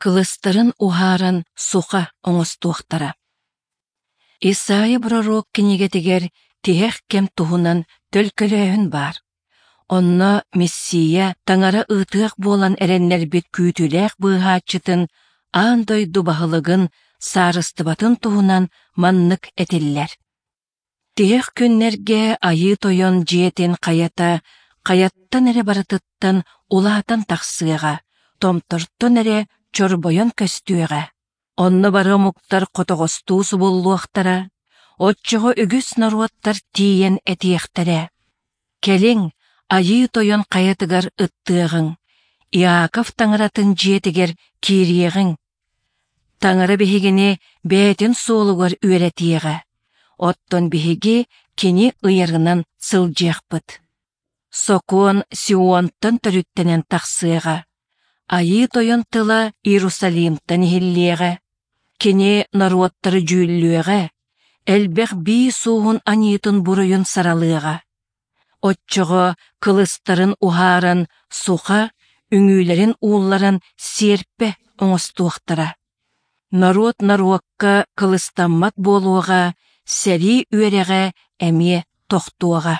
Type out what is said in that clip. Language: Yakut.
кылыстарын уһааран суха оҥостуохтара. Исайя пророк кинигэтигэр тиһэх кэм туһунан төлкөлөөһүн баар. Онно Мессия Таҥара ыытыах буолан эрэннэрбит күүтүүлээх быыһааччытын аан дойду баһылыгын саарыстыбатын туһунан маннык этиллэр. Тиһэх күннэргэ Айыы Тойон дьиэтин хайата хайаттан эрэ барытыттан улаатан тахсыаҕа, томтортон эрэ чорбойон көстүөҕэ. Онно бары омуктар хотоҕостуу субуллуохтара, оччоҕо үгүс норуоттар тиийэн этиэхтэрэ: «Кэлиҥ, Айыы Тойон хайатыгар ыттыаҕыҥ, Иаков Таҥаратын дьиэтигэр киириэҕиҥ. Таҥара биһигини бэйэтин суолугар үөрэтиэҕэ, оттон биһиги кини ыйарынан сылдьыахпыт». Сокуон Сионтан төрүттэнэн тахсыаҕа, Айыы Тойон тыла Иерусалимтан иһиллиэҕэ, кини норуоттары дьүүллүөҕэ, элбэх бии сууһун аньыытын буруйун саралыаҕа. Оччоҕо кылыстарын уһааран суха, үҥүүлэрин уулларан сиэрпэ оҥостуохтара. Норуот норуокка кылыстаммат буолуоҕа, сэрии үөрэҕэ эмиэ тохтуоҕа.